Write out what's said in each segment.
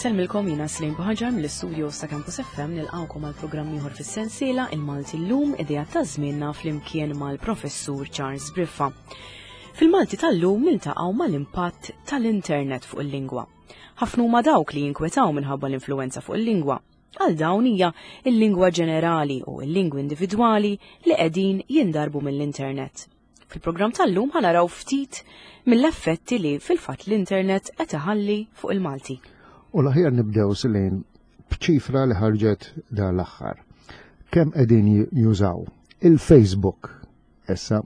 Insellmilkom jiena Slim Buħaġar mill-istudio sa' Campus FM nilqawkom għal programm ieħor fis-sensiela il-Malti llum idea ta' żmienna flimkien mal-Professur Charles Briffa. Fil-Malti tal-lum niltaqgħu mal-impatt tal-internet fuq il-lingwa. Ħafna huma dawk li jinkwetaw minħabba l-influenza fuq il-lingwa. Għal dawn hija il-lingwa ġenerali u l-lingwi individwali li qegħdin jindarbu mill-internet. Fil-programm tal-lum ħanaraw ftit mill-effetti li fil-fatt l-internet qed iħalli fuq il-Malti. U l-aħjar nibdew silin b'ċifra li ħarġet dan l-aħħar. Kemm qegħdin jużaw il-Facebook issa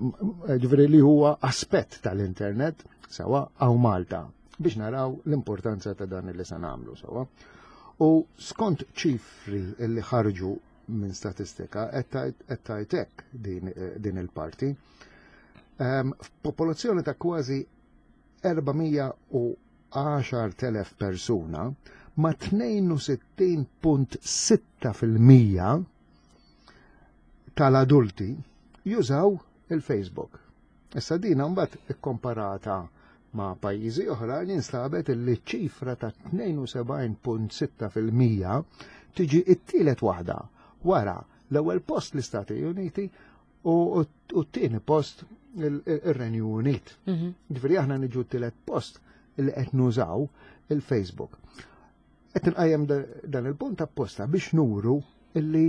ġifieri li huwa aspett tal-internet sewa hawn Malta biex naraw l-importanza ta' dan li se nagħmlu sewa. U skont ċifri li ħarġu minn statistika qed tgħid hekk din, din il-parti. Ehm, f'popolazzjoni ta' kważi 410,000 persuna ma' 62.6% tal-adulti jużaw il-Facebook. Issa dina mbagħad ikkomparata ma' pajjiżi oħra instabet li ċifra ta' 72.6% tiġi t-tielet waħda wara l-ewwel post l-Istati Uniti u t-tieni post ir-Renju Unit. Mhm. Ġifieri aħna niġu t-tielet post li qed nużaw il-Facebook. Qed inqajjem dan il-punt apposta biex nuru illi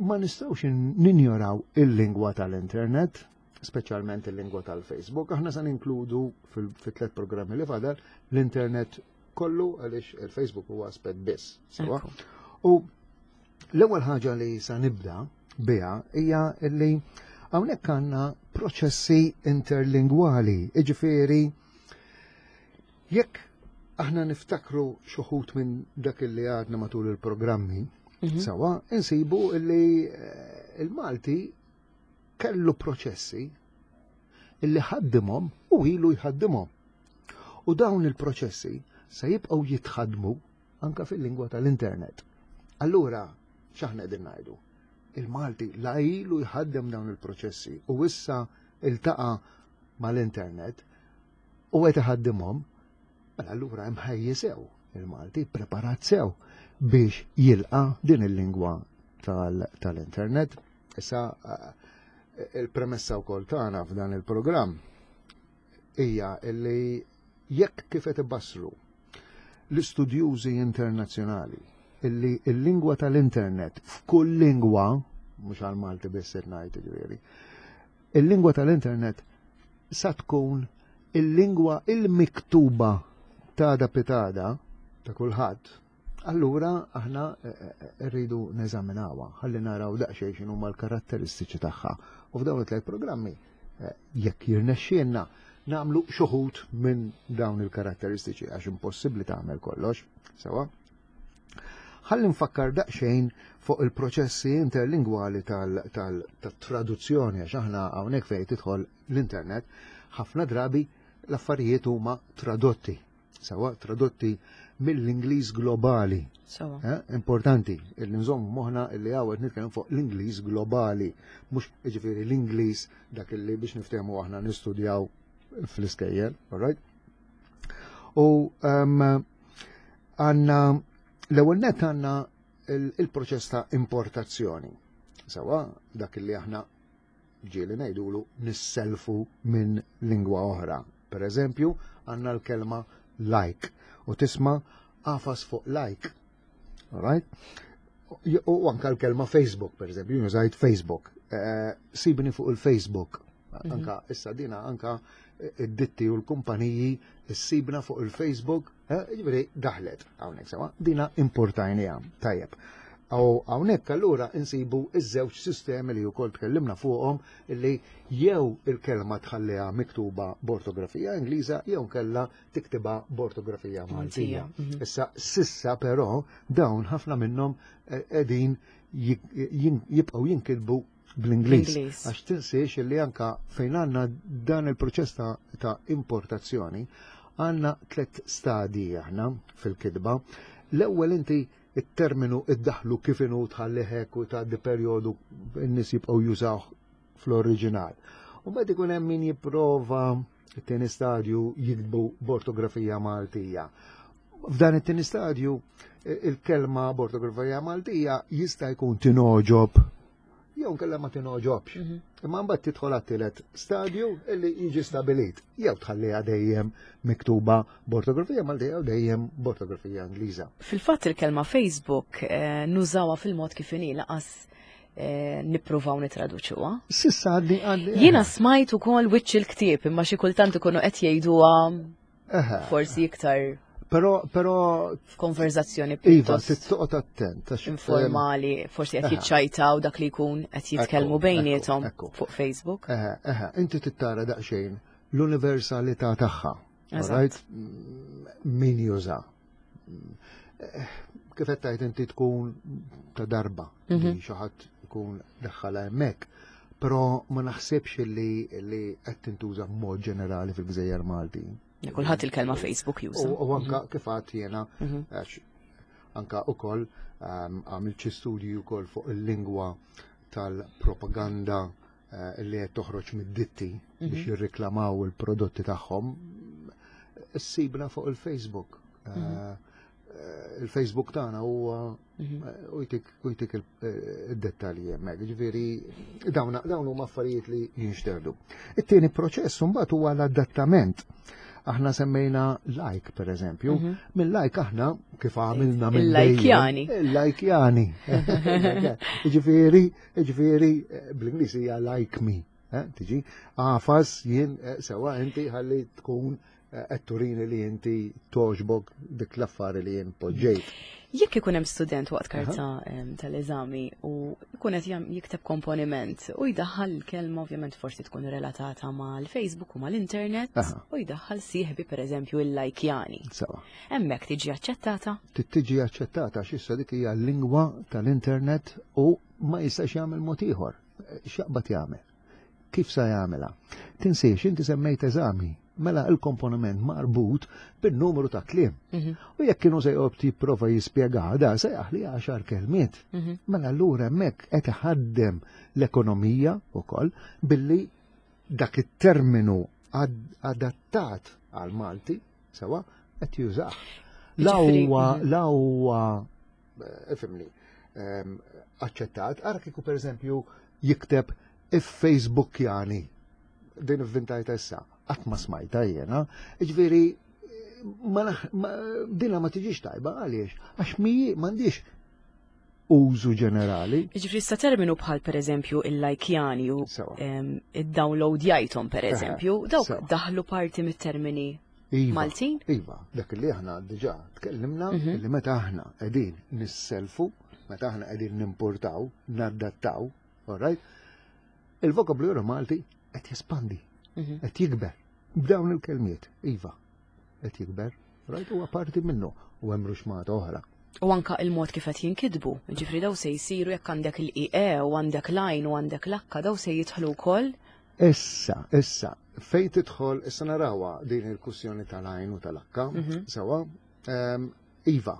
ma nistgħux ninjoraw il-lingwa tal-internet, speċjalment il-lingwa tal-Facebook. Aħna se ninkludu fil-tlet programmi li fadal l-internet kollu għaliex il-Facebook huwa aspett biss. Sewa? U l-ewwel ħaġa li sa nibda biha hija li hawnhekk għandna proċessi interlingwali, jiġifieri jekk aħna niftakru xuħut minn dak li għadna matul il-programmi, mhm. sawa, insibu li eh, il-Malti kellu proċessi illi ħaddimhom u ilu jħaddimhom. U dawn il-proċessi se jibqgħu jitħaddmu anka fil-lingwa tal-internet. Allura, x'aħna qegħdin ngħidu? Il-Malti la ilu jħaddem dawn il-proċessi u issa iltaqa' mal-internet u qed iħaddimhom, mela allura hemm ħajji sew il-Malti, preparat sew biex jilqa' din il-lingwa tal-internet. Issa eh, il-premessa wkoll tagħna f'dan il-programm hija li jekk kif qed ibassru l-istudjużi internazzjonali illi l-lingwa tal-internet f'kull lingwa, mhux għal Malti biss qed ngħid ġifieri, il-lingwa tal-internet sa tkun il-lingwa il-miktuba ta' da pitada ta' kulħadd, allura aħna eh, eh, rridu neżaminawha ħalli naraw daqsxejn x'inhuma l-karatteristiċi tagħha. U f'dawn it-tliet programmi eh, jekk jirnexxielna nagħmlu xuħut minn dawn il-karatteristiċi għax impossibbli tagħmel kollox, sewa. Ħalli nfakkar daqsxejn fuq il-proċessi interlingwali tal-traduzzjoni għax aħna hawnhekk fejn tidħol l-internet, ħafna drabi l-affarijiet huma tradotti. Sewa tradotti mill-Ingliż globali. Sewa. Eh, importanti, illi nżomm moħna illi għawet nitkellem fuq l-Ingliż globali, mhux jiġifieri l-Ingliż dak illi biex niftehmu aħna nistudjaw fl-iskejjel, all right? U um, għanna l-ewwel net għandna il-proċess ta' importazzjoni. Sawa, dak li aħna ġieli ngħidulu nisselfu minn lingwa oħra. Per eżempju, għandna l-kelma like u tisma' għafas fuq like. Alright? U anka l-kelma Facebook, per eżempju, jużajt Facebook. Eh, sibni fuq il-Facebook. Mhm. Anka issa dina anka id-ditti u l-kumpaniji ssibna fuq il-Facebook, eh, jiġifieri daħlet hawnhekk sewa, dina importajniha tajjeb. U hawnhekk allura insibu iż-żewġ sistemi li wkoll tkellimna fuqhom li jew il-kelma tħalliha miktuba b'ortografija Ingliża jew kella tiktibha b'ortografija Maltija. Mhm. Issa sissa però dawn ħafna minnhom eh, qegħdin jibqgħu jinkitbu bl-Ingliż. Għax tinsiex li anka fejn għandna dan il-proċess ta', ta importazzjoni għandna tlet stadji aħna fil-kitba. L-ewwel inti it-terminu iddaħlu kif inhu tħalli hekk u tgħaddi perjodu n-nies jibqgħu jużawh fl-oriġinal. U mbagħad ikun hemm min jipprova it-tieni stadju jiktbu b'ortografija Maltija. F'dan it-tieni stadju il-kelma b'ortografija Maltija jista' jkun tinoġob jew nkella ma tinoġobx. Mhm. Imma mbagħad tidħol għat-tielet stadju illi jiġi stabilit. Jew tħalliha dejjem miktuba b'ortografija Maltija jew dejjem b'ortografija Ingliża. Fil-fatt il-kelma Facebook eh, nużawha fil-mod kif inhi laqas eh, nippruvaw nitraduċuha. Sissa għaddi għaddi. Jiena smajt ukoll wiċċ il-ktieb imma xi kultant ikunu qed jgħiduha forsi iktar Pero, pero. F'konverzazzjoni Iva, tittoqgħod attent. Informali, forsi qed jiċċajtaw dak li jkun qed jitkellmu bejniethom fuq Facebook. Eħe, eħe, inti tittara daqsxejn l-universalità tagħha. Right? Min juża. Kif qed tgħid inti tkun ta' darba li mhm. xi ħadd ikun daħħalha hemmhekk. Però ma naħsibx li qed tintuża b'mod ġenerali fil-Gżejjer Malti. Kulħadd il-kelma Facebook juża. U anka mhm. kif għad jiena mhm. għax anka ukoll ehm, għamilt xi studji wkoll fuq il-lingwa tal-propaganda eh, li qed toħroġ mid-ditti mhm. biex jirriklamaw il-prodotti tagħhom issibna fuq il-Facebook. Eh, eh, il-Facebook tagħna huwa mhm. eh, u jtik eh, id-dettalji hemmhekk. Ġifieri dawn dawn huma affarijiet li jinxterdu. It-tieni proċess mbagħad huwa l-adattament. Aħna semmejna like per eżempju, mhm. minn like aħna kif għamilna minn Il-lajkjani. Il-lajkjani. Ġifieri, ġifieri bl-Ingliż hija like me. Tiġi, għafas jien sewa inti ħalli tkun qed turini li inti toġbok dik l-affari li jien poġġejt. Jekk ikun hemm student waqt karta tal-eżami u jkun qed jikteb komponiment u jdaħħal il-kelma ovvjament forsi tkun relatata mal-Facebook u mal-internet u jdaħħal sieħbi pereżempju il-lajkjani. Sawa. Hemmhekk tiġi aċċettata? Tiġi aċċettata għax issa dik hija l-lingwa tal-internet u ma jistax jagħmel mod ieħor. X'jaqbad jagħmel? Kif sa jagħmilha? Tinsiex inti semmejt eżami, mela il-komponiment marbut bin-numru ta' kliem. Mhm. U jekk kienu se joqgħod jipprova jispjega da se jaħli għaxar kelmiet. Mhm. Mela allura hemmhekk qed iħaddem l-ekonomija wkoll billi dak it-terminu adattat għal Malti sewa qed jużah. La huwa mhm. la huwa eh, ifimni, ehm, aċċettat, ara kieku pereżempju jikteb if-Facebookjani din ivvintajta issa, qatt ma smajta jiena, ġifieri ma, dina ma tiġix tajba għaliex, għax mi m'għandix użu ġenerali. Ġifri sa terminu bħal per eżempju il-lajkjani u id-download jajtom per eżempju, dawk daħlu parti mit-termini Iva, Maltin? Iva, dak li aħna diġà tkellimna mhm. li meta aħna qegħdin nisselfu, meta aħna qegħdin nimportaw, naddattaw, all right? Il-vokabularju Malti qed jespandi, mhm. qed jikber. B'dawn il-kelmiet, iva, qed jikber, right? Huwa parti minnu u hemm ruxmata oħra. U anka il-mod kif qed jinkitbu, ġifri daw se jsiru jekk għandek il-IE u għandek l-għajn u għandek l-akka daw se jidħlu wkoll. Issa, issa, fejn tidħol, issa narawha din il-kwistjoni tal-għajn u tal-akka, mhm. sewa, ehm, iva,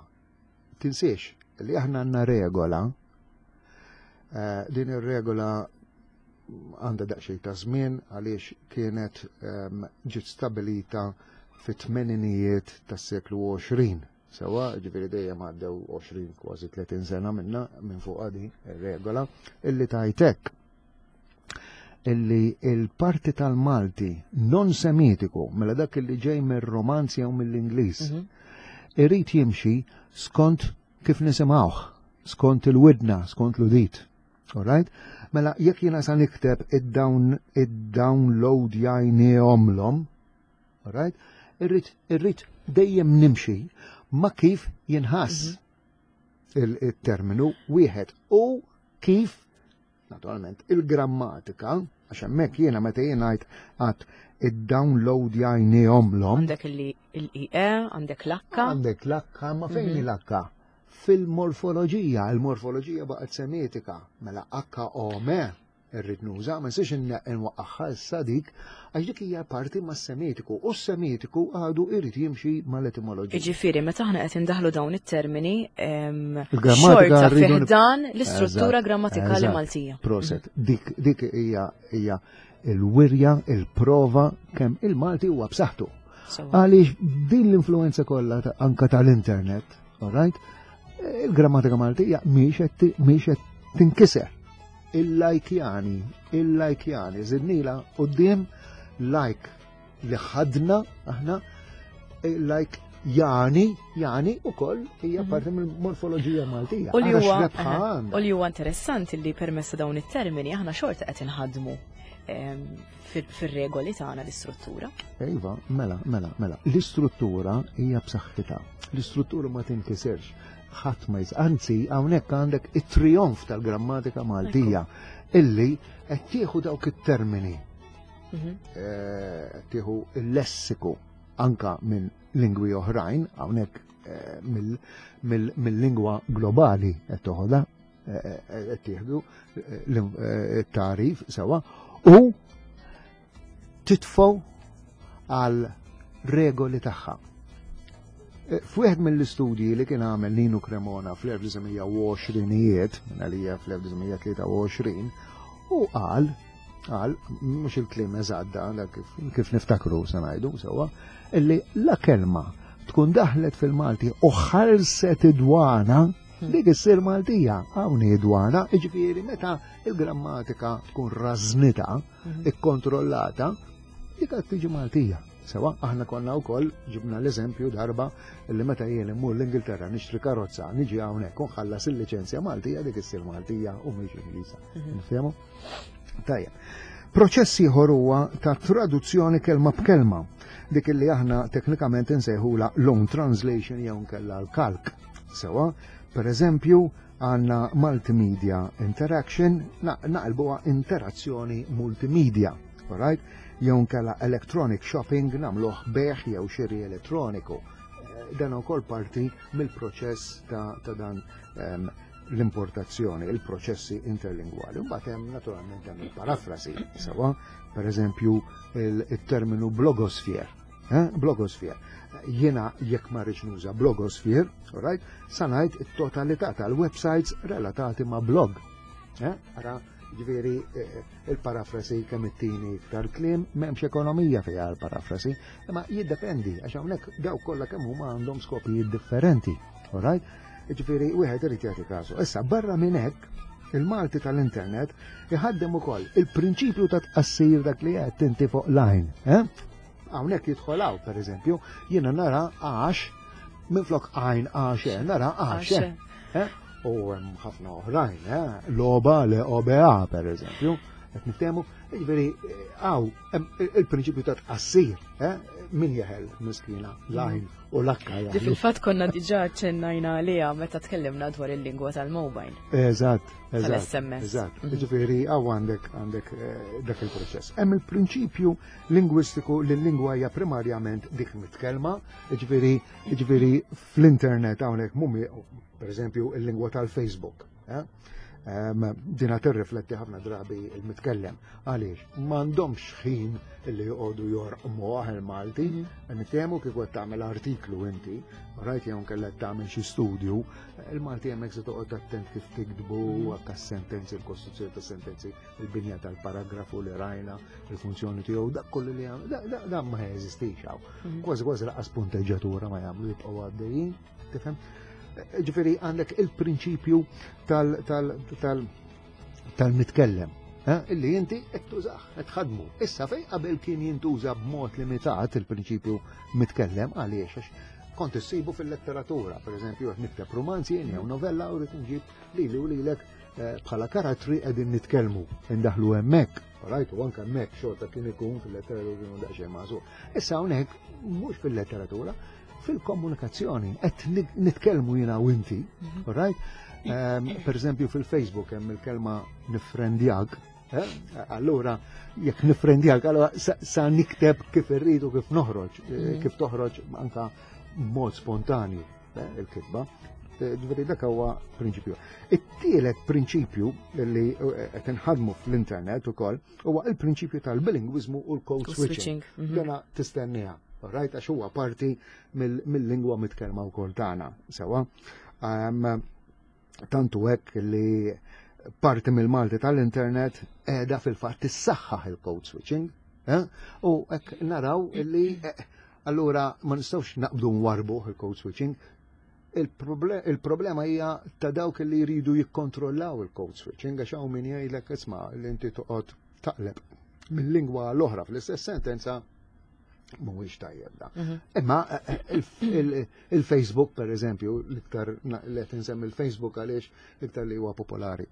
tinsiex li aħna għandna regola, eh, din ir-regola għandha daqsxejn ta' żmien għaliex kienet ehm, ġiet stabilita fit-tmeninijiet tas-seklu 20. Sewa, ġifieri dejjem għaddew 20 kważi 30 sena minna minn fuq għadi regola illi tajtek illi il-parti tal-Malti non semitiku, mela dak illi ġej mir-Romanzi jew mill-Ingliż, mhm. irid jimxi skont kif nisimgħuh, skont il-widna, skont l-udit. Alright? Mela jekk jiena sa nikteb id-down id-download jajnihomlhom, alright? Irrid irrid dejjem nimxi ma kif jinħass mhm. il-terminu wieħed u kif naturalment il-grammatika għax hemmhekk jiena meta jien ngħid għad id-download jajnihomlhom. Għandek il-IE, għandek l-akka. Għandek l-akka, ma fejn mhm. l-akka? Fil-morfoloġija, il-morfoloġija baqgħet semitika, mela akka ome irrid nuża, ma nsiex nwaqqaħħa issa dik, għax dik hija parti mas-semitiku, u s-semitiku għadu irid jimxi mal-etimoloġija. Jiġifieri meta aħna qed indaħlu dawn it-termini, xorta fih dan l-istruttura grammatikali Maltija. Proset, dik dik hija hija il-wirja, il-prova kemm il-Malti huwa b'saħħtu. Għaliex din l-influenza kollha anka tal-internet, all right? Il-grammatika Maltija mhix qed tinkiser. Il-lajkjani, il-lajkjani, żidnila quddiem like li ħadna aħna like jani, jani u koll hija parti mill-morfoloġija Maltija. U li huwa u li huwa interessanti li permessa dawn it-termini aħna xorta qed inħadmu fir-regoli tagħna l-istruttura. Iva, mela, mela, mela. L-istruttura hija b'saħħitha. L-istruttura ma tinkisirx. Ħadd ma jis. Anzi, hawnhekk għandek it-trijonf tal-grammatika Maltija illi qed tieħu dawk it-termini. Tieħu il-lessiku anka minn lingwi oħrajn, hawnhekk mill-lingwa globali qed toħodha, qed tieħdu t-tagħrif sewa u titfgħu għal regoli tagħha. F'wieħed mill-istudji li kien għamel Nino Cremona fl-1920ijiet, minn għalija fl-1923, u qal, qal, mhux il-kliem eżatt da, kif niftakru se ngħidu sewwa, illi la kelma tkun daħlet fil-Malti u ħarset id-dwana, dik issir Maltija, hawn hi dwana, jiġifieri meta il-grammatika tkun rażnita, ikkontrollata, dik qed tiġi Maltija. Sewa, aħna konna wkoll ġibna l-eżempju darba li meta jien immur l-Ingilterra nixtri karozza, niġi hawnhekk u nħallas il-liċenzja Maltija, dik issir Maltija u mhix Ingliża. Nifhemu? Tajjeb. Proċess ieħor huwa ta' traduzzjoni kelma b'kelma, dik li aħna teknikament insejħula loan translation jew nkella l-kalk. Sewa, per eżempju, għandna multimedia interaction, naqilbuha interazzjoni multimedia. Alright? Jew nkella electronic shopping nagħmluh bejgħ jew xiri elettroniku. Dan ukoll parti mill-proċess ta' dan l-importazzjoni, il-proċessi interlingwali. Mbagħad hemm naturalment hemm il-parafrasi, sewa, per eżempju il-terminu blogosphere. Blogosphere. Jiena jekk ma rridx nuża blogosphere, alright, sa ngħid it-totalità tal-websites relatati ma' blog. Ara, ġifieri il-parafrasi kemm it-tieni iktar kliem, m'hemmx ekonomija fiha l-parafrasi, imma jiddependi għax hawnhekk dawk kollha kemm huma għandhom skopijiet differenti, alright? Ġifieri wieħed irid jagħti kasu. Issa barra minn hekk, il-Malti tal-internet iħaddem ukoll il-prinċipju ta' tqassir dak li qed inti fuq line. Hawnhekk jidħol hawn, pereżempju, jiena nara għax minflok għajn għax, nara għax. U hemm ħafna oħrajn, Loba le OBA, pereżempju, qed niftehmu, jiġifieri hawn hemm il-prinċipju ta' tqassir, min jeħel miskina lajn u lakka jeħlu. Di fil-fatt konna diġà ċennajna għaliha meta tkellimna dwar il-lingwa tal-mobile. Eżatt, eżatt. Tal-SMS. Eżatt. Jiġifieri hawn għandek dak il-proċess. Hemm il-prinċipju lingwistiku li l-lingwa hija primarjament dik mitkellma, jiġifieri fl-internet hawnhekk mhumi, per eżempju, il-lingwa tal-Facebook. Dina tirrifletti ħafna drabi il-mitkellem. Għaliex, m'għandhomx ħin li joqogħdu jorqmu il-Malti, niftehmu kif qed tagħmel artiklu inti, rajt jew kellek tagħmel xi studju, il-Malti hemmhekk se toqgħod attent kif tiktbu, anke sentenzi, il-kostruzzjoni ta' sentenzi, il-binja tal-paragrafu li rajna, il-funzjoni tiegħu, dak kollu li jagħmel, da ma jeżistix hawn. Kważi kważi laqas punteġġatura ma jagħmlu, jibqgħu għaddejjin, tifhem? Ġifieri għandek il-prinċipju tal-mitkellem, illi inti qed tużah, qed tħaddmu. Issa fejn qabel kien jintuża b'mod limitat il-prinċipju mitkellem, għaliex? Għax kont issibu fil-letteratura, per eżempju, qed nikteb romanzi jien jew novella u rrid nġib lili u lilek bħala karattri qegħdin nitkellmu, indaħlu hemmhekk, right? U anke hemmhekk xorta kien ikun fil-letteratura kienu daqsxejn magħżul. Issa hawnhekk mhux fil-letteratura, fil-komunikazzjoni qed nitkellmu jiena u inti, right? Per eżempju fil-Facebook hemm il-kelma nifrendjak, Allura jekk nifrendjak, allura sa nikteb kif irridu, kif noħroġ, kif toħroġ anka b'mod spontanju il-kitba. Ġifieri dak huwa prinċipju. It-tielet prinċipju li qed inħadmu fl-internet ukoll huwa il-prinċipju tal-bilingwiżmu u l-code switching. Dana tistenniha, right? Għax huwa parti mill-lingwa mitkellma wkoll tagħna, sewwa. Tantu hekk li parti mill-Malti tal-internet qiegħda fil-fatt tissaħħaħ il-code switching, U hekk naraw li Allura ma nistgħux naqbdu nwarbu il-code switching. Il-problema hija ta' dawk li jridu jikkontrollaw il-code switching għax hawn min jgħidlek isma' li inti toqgħod taqleb mill-lingwa l-oħra fl-istess sentenza mhuwiex tajjeb da. Imma il-Facebook per eżempju, l-iktar li qed insemmi il-Facebook għaliex l-iktar li huwa popolari.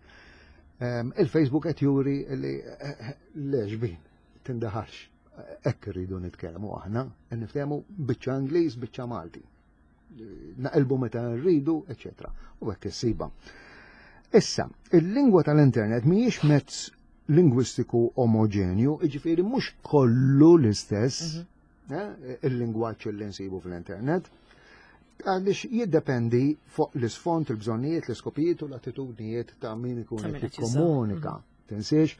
Il-Facebook qed juri li lex bin tindaħalx. Hekk irridu nitkellmu aħna, niftehmu biċċa Ingliż, biċċa Malti. Naqilbu meta rridu, eċetera. U hekk issiba. Issa, il-lingwa tal-internet mhijiex mezz lingwistiku omogenju, jiġifieri mhux kollu l-istess il-lingwaġġ li nsibu fl-internet, għaliex jiddependi fuq l-isfond, il-bżonnijiet, l-iskopijiet u l-attitudnijiet ta' min ikun Ta' min qed qed juża. jikkomunika. Tinsiex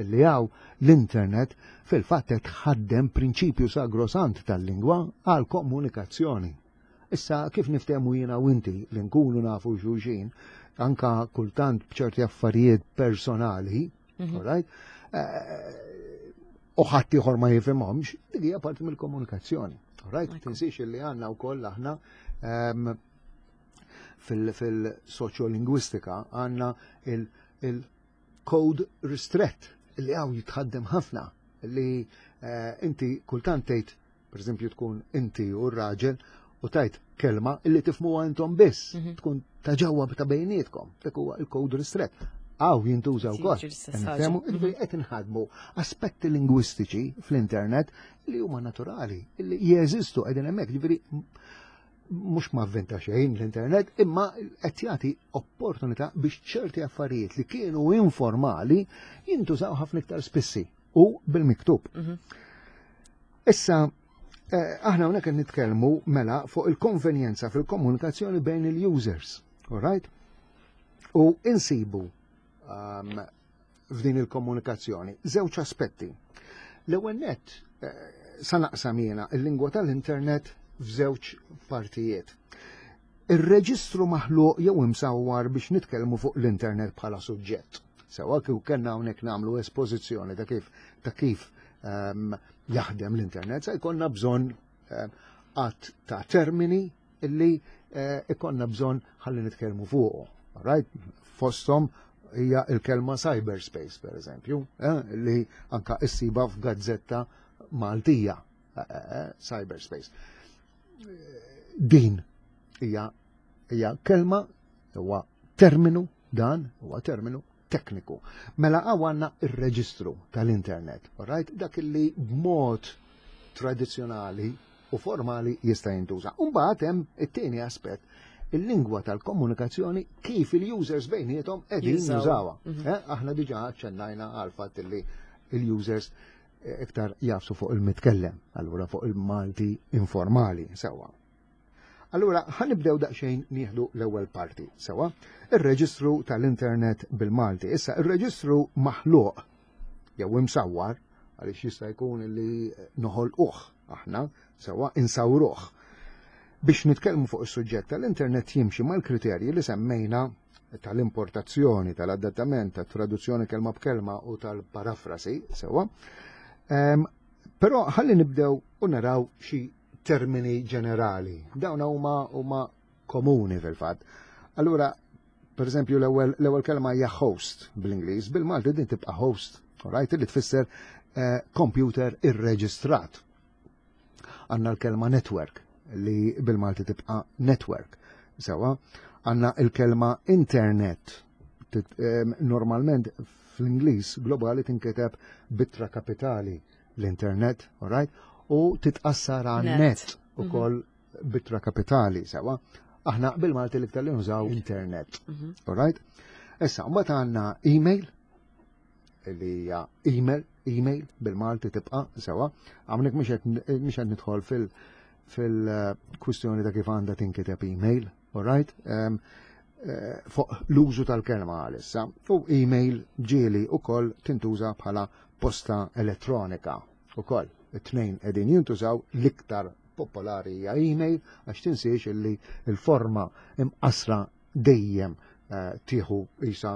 li hawn l-internet fil-fatt qed tħaddem prinċipju sagrosant tal-lingwa għal komunikazzjoni. Issa kif niftehmu jiena u inti li nkunu nafu xulxin, anka kultant b'ċerti affarijiet personali, alright? U ħadd ieħor ma jifhimhomx, dik hija parti mill-komunikazzjoni. Alright? Tinsiex li għandna wkoll aħna fil-soċjolingwistika għandna il-code ristret li hawn jitħaddem ħafna li inti kultant tgħid, per eżempju tkun inti u r-raġel u tajt kelma illi tifmuha intom biss, tkun ta' ġewwa ta' bejnietkom, dak huwa il-code ristret. Hawn jintuża Sì, wkoll. ġi l-istess ħaġa. Nifhemu, jiġifieri qed inħadmu aspetti lingwistiċi fl-internet li huma naturali, li jeżistu qegħdin hemmhekk, jiġifieri mhux ma avventa xejn l-internet, imma qed jagħti opportunità biex ċerti affarijiet li kienu informali jintużaw ħafna iktar spissi u bil-miktub. Issa, aħna hawnhekk qed nitkellmu mela fuq il-konvenjenza fil-komunikazzjoni bejn il-users, all right? U insibu f'din il-komunikazzjoni żewġ aspetti. L-ewwel nett sa naqsam jiena il-lingwa tal-internet f'żewġ partijiet. Ir-reġistru maħluq jew imsawwar biex nitkellmu fuq l-internet bħala suġġett. Sewa kif kellna hawnhekk nagħmlu espożizzjoni ta' kif jaħdem l-internet, sa jkollna bżonn għadd ta' termini illi ikonna bżonn ħalli nitkellmu fuqu. Right? Fosthom hija il-kelma cyberspace, per eżempju, li anka issiba f'gazzetta Maltija, cyberspace. Din hija kelma, huwa terminu, dan huwa terminu tekniku. Mela hawn għandna ir-reġistru tal-internet, all right? Dak li b'mod tradizzjonali u formali jista' jintuża. Mbagħad hemm it-tieni aspett, il-lingwa tal-komunikazzjoni kif il-users bejniethom qegħdin Jużaw. jużawha. Aħna diġà aċċennajna għal fatt li il-users iktar jafsu fuq il-mitkellem, allura fuq il-Malti informali, sewa. Allura, ħa nibdew daqsxejn nieħdu l-ewwel parti, sewa, ir-reġistru tal-internet bil-Malti. Issa, ir-reġistru maħluq jew imsawwar, għaliex jista' jkun li noħolquh aħna, sewa, insawruh. Biex nitkellmu fuq is-suġġett tal-internet jimxi mal-kriterji li semmejna tal-importazzjoni, tal-adattament, tat-traduzzjoni kelma b'kelma u tal-parafrasi, sewa. Però ħalli nibdew u naraw xi termini ġenerali. Dawn huma komuni fil-fatt. Allura, per eżempju, l-ewwel kelma hija host bl-Ingliż, bil-Malti din tibqa' host, right, li tfisser computer irreġistrat. Għandna l-kelma network li bil-Malti tibqa' network. Sewa, għandna l-kelma internet. Normalment fl-Ingliż globali tinkiteb b'ittra kapitali l-internet, all right? U titqassar għal Net. net ukoll b'ittra kapitali, sewa. Aħna bil-Malti l-iktar li nużaw internet, all right? Issa, mbagħad għandna email, li hija email, email bil-Malti tibqa' sewa. Hawnhekk mhux qed nidħol fil-kwistjoni ta' kif għandha tinkiteb email, all right? Fuq l-użu tal-kelma għalissa. U email ġieli ukoll tintuża bħala posta elettronika ukoll. It-tnejn qegħdin jintużaw, l-iktar popolari hija email, għax tinsiex illi il-forma imqasra dejjem tieħu isa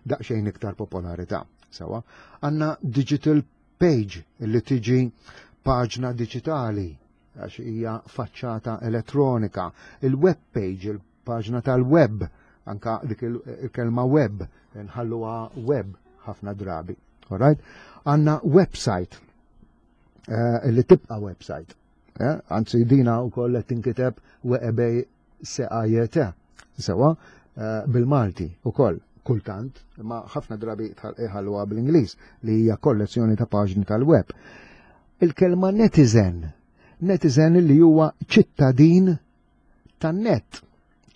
daqsxejn iktar popolarità. Sewa, għandna digital page li tiġi paġna digitali. għax hija faċċata elettronika, il-web page, il-paġna tal-web, anka dik il-kelma web, nħalluha web ħafna drabi. Alright? Għanna website, eh, li tibqa website. Eh? Anzi, dina u koll tinkiteb web SAJT, sewa, eh, bil-Malti u koll, kultant, ma ħafna drabi iħalluha bl-Ingliż li hija kollezzjoni ta' paġni tal-web. Il-kelma netizen, netizen li huwa ċittadin tan-net.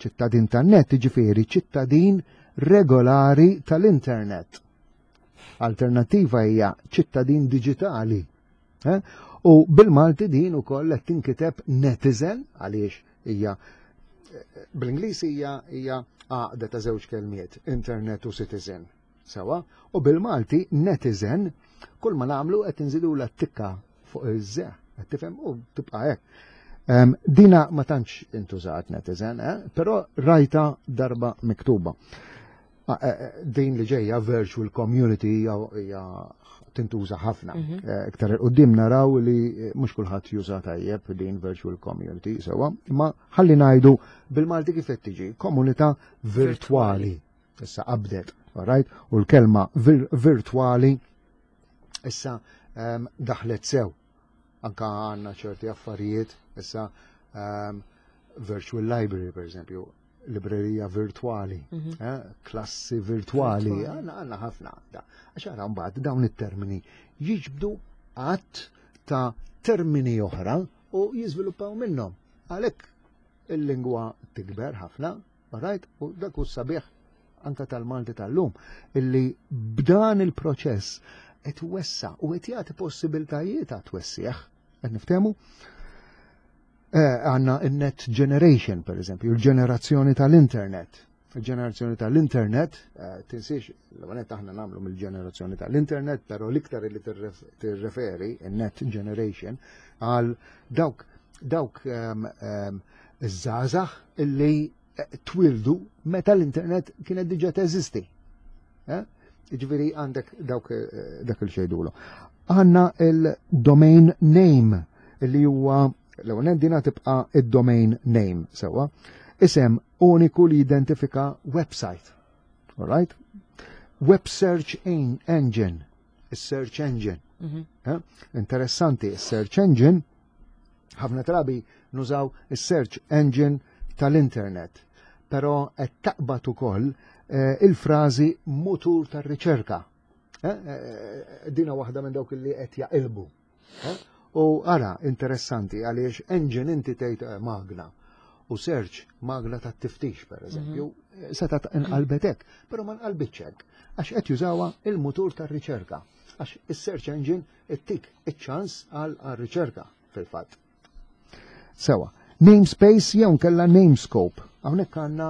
Ċittadin tan-net, ġifieri ċittadin regolari tal-internet. Alternativa hija ċittadin diġitali. Eh? U bil-Malti din ukoll qed tinkiteb netizen għaliex hija bl-Ingliż hija hija għaqda ta' żewġ kelmiet, internet u citizen. Sewa, u bil-Malti netizen kull ma nagħmlu qed inżidu la tikka fuq iż-ze, qed tifhem u tibqa' hekk. Dina ma tantx intużat netizen, eh? però rajta darba miktuba. Ah, eh, eh, din li ġejja virtual community hija tintuża ħafna. Eh, iktar il-qoddim naraw li mhux kulħadd juża tajjeb din virtual community sewa, imma ħalli ngħidu bil-Malti kif qed tiġi komunità virtwali. Issa qabdet, alright? U l-kelma virtwali issa daħlet sew. Anka għandna ċerti affarijiet issa virtual library per eżempju, librerija virtuali, klassi virtuali, għanna għanna ħafna. Għax għara mbagħad dawn it-termini jiġbdu għadd ta' termini oħra u jiżviluppaw minnhom. Għalhekk il-lingwa tikber ħafna, right? U dak hu sabiħ anka tal-Malti tal-lum, illi b'dan il-proċess qed wessa u qed jagħti possibiltajiet għat twessieħ. Qed niftehmu? Għanna il-net generation, per eżempju, il-ġenerazzjoni tal-internet. Il-ġenerazzjoni tal-internet, tinsiex, l-għanet aħna namlu mill-ġenerazzjoni tal-internet, pero l-iktar li tirreferi, il-net generation, għal dawk dawk iż-żgħażagħ illi twildu meta l-internet kienet diġà teżisti. Eh? Ġifieri għandek dawk dak il-xejdulu. Għandna il-domain name li huwa l-ewwel dina tibqa' id-domain name sewwa. Isem uniku li jidentifika website. Alright? Web search engine, is-search engine. Eh? Interessanti, is-search engine ħafna drabi nużaw is-search engine tal-internet, però qed taqbad ukoll il-frażi mutur tar-riċerka. Dina waħda minn dawk li qed jaqilbu. U ara, interessanti, għaliex engine inti tgħid magna u search magna ta' tiftix, per eżempju, seta' inqalbet hekk, però ma nqalbitx hekk, għax qed jużawha il-mutur tar-riċerka, għax is-search engine ittik iċ-ċans għal riċerka fil-fatt. Sewa, namespace jew nkella namescope. Hawnhekk għandna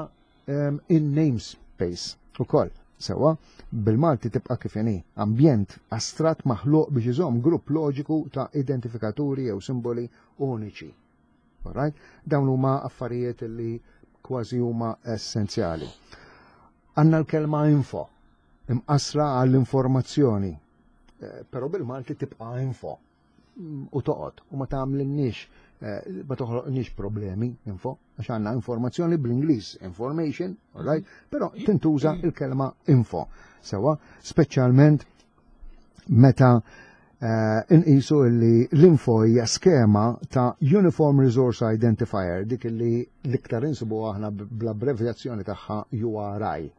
in namespace ukoll. Sewa, bil-Malti tibqa' kif inhi, ambjent astrat maħluq biex iżomm grupp loġiku ta' identifikaturi jew simboli uniċi. Alright? Dawn huma affarijiet li kważi huma essenzjali. Għandna l-kelma info, imqasra għall-informazzjoni, però bil-Malti tibqa' info u toqgħod u ma tagħmlinniex ma toħloqniex problemi info, għax għandna informazzjoni bl-Ingliż, information, alright, però tintuża il-kelma info. Sewa, speċjalment meta inqisu li l-info hija skema ta' Uniform Resource Identifier, dik li l-iktar insibu aħna bl-abbrevjazzjoni tagħha URI.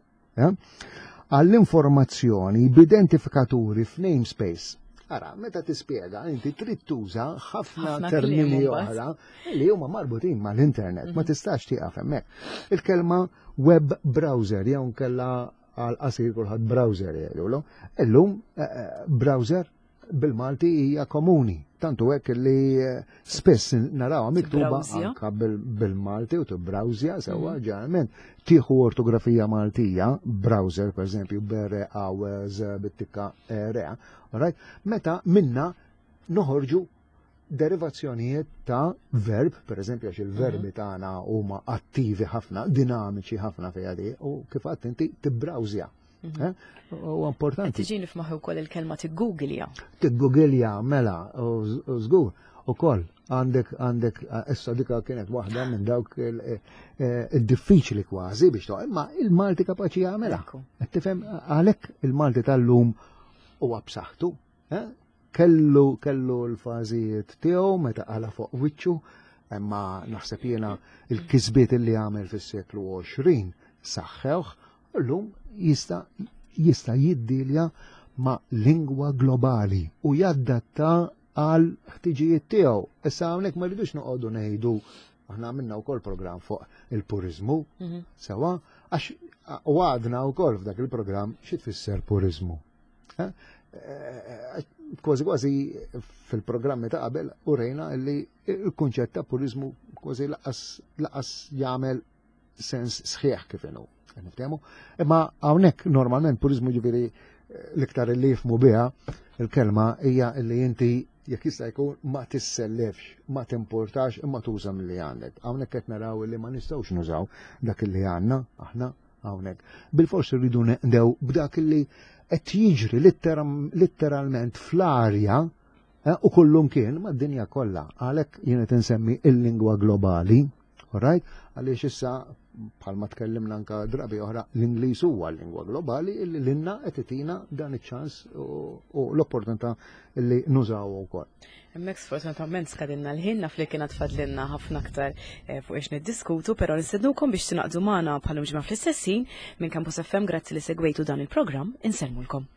Għall-informazzjoni b'identifikaturi f'namespace. Ara, meta tispjega, inti trid tuża ħafna termini oħra li huma marbutin mal-internet, ma tistax tieqaf hemmhekk. Il-kelma web browser jew nkella għal qasir kulħadd browser jgħidulu. Illum browser bil-Malti hija komuni, tantu hekk li spiss narawha miktuba anka bil-Malti u tibbrowsja sewwa ġeneralment tieħu ortografija Maltija, browser per eżempju bere a z bit-tikka r, right? Meta minna noħorġu derivazzjonijiet ta' verb, per eżempju, għax il-verbi tagħna huma attivi ħafna, dinamiċi ħafna fiha di, u kif għadt inti tibbrawżja. U importanti. Tiġini f'moħħi wkoll il-kelma tiggooglja. Tiggooglja, mela, u żgur. Ukoll għandek għandek issa dika kienet waħda minn dawk eh, eh, id-diffiċli kważi biex toq, imma il-Malti kapaċi jagħmilha. Qed tifhem għalhekk il-Malti tal-lum huwa b'saħħtu. Eh? Kellu kellu l-fażijiet tiegħu meta qala fuq wiċċu, imma naħseb jiena il-kisbiet li għamel fis-seklu 20 saħħewh, llum jista' jista' jiddilja ma' lingwa globali u jaddatta għal ħtiġijiet tiegħu. Issa hawnhekk ma rridux noqogħdu ngħidu aħna għamilna wkoll programm fuq il-puriżmu, mhm. sewa, għax u għadna wkoll f'dak il-programm xi tfisser puriżmu. Eh? Eh, kważi kważi fil-programmi ta' qabel u rejna li il-kunċett ta' puriżmu kważi laqas jagħmel sens sħiħ kif inhu. Niftehmu? Imma hawnhekk normalment puriżmu ġifieri eh, l-iktar li jifmu biha il-kelma hija li inti jekk jista' jkun ma tissellefx, ma timportax imma tuża milli għandek. Hawnhekk qed naraw li ma nistgħux nużaw dak li għandna aħna hawnhekk. Bil-fors irridu neqdew b'dak li qed jiġri litteralment fl-arja eh, u kullum kien mad-dinja kollha. Għalhekk jien qed insemmi il-lingwa globali. Alright? Għaliex issa bħalma tkellimna anka drabi oħra l-Ingliż huwa l-lingwa globali illi l-inna qed itina dan iċ-ċans u l-opportunità li nużaw ukoll. Hemmhekk sfortunatament skadinna l-ħin naf li kien tfadlilna ħafna aktar eh, fuq ix niddiskutu, però nistednukom biex tingħaqdu magħna bħalum ġimgħa fl-istess ħin minn Campus FM grazzi li segwejtu dan il-programm insellmulkom.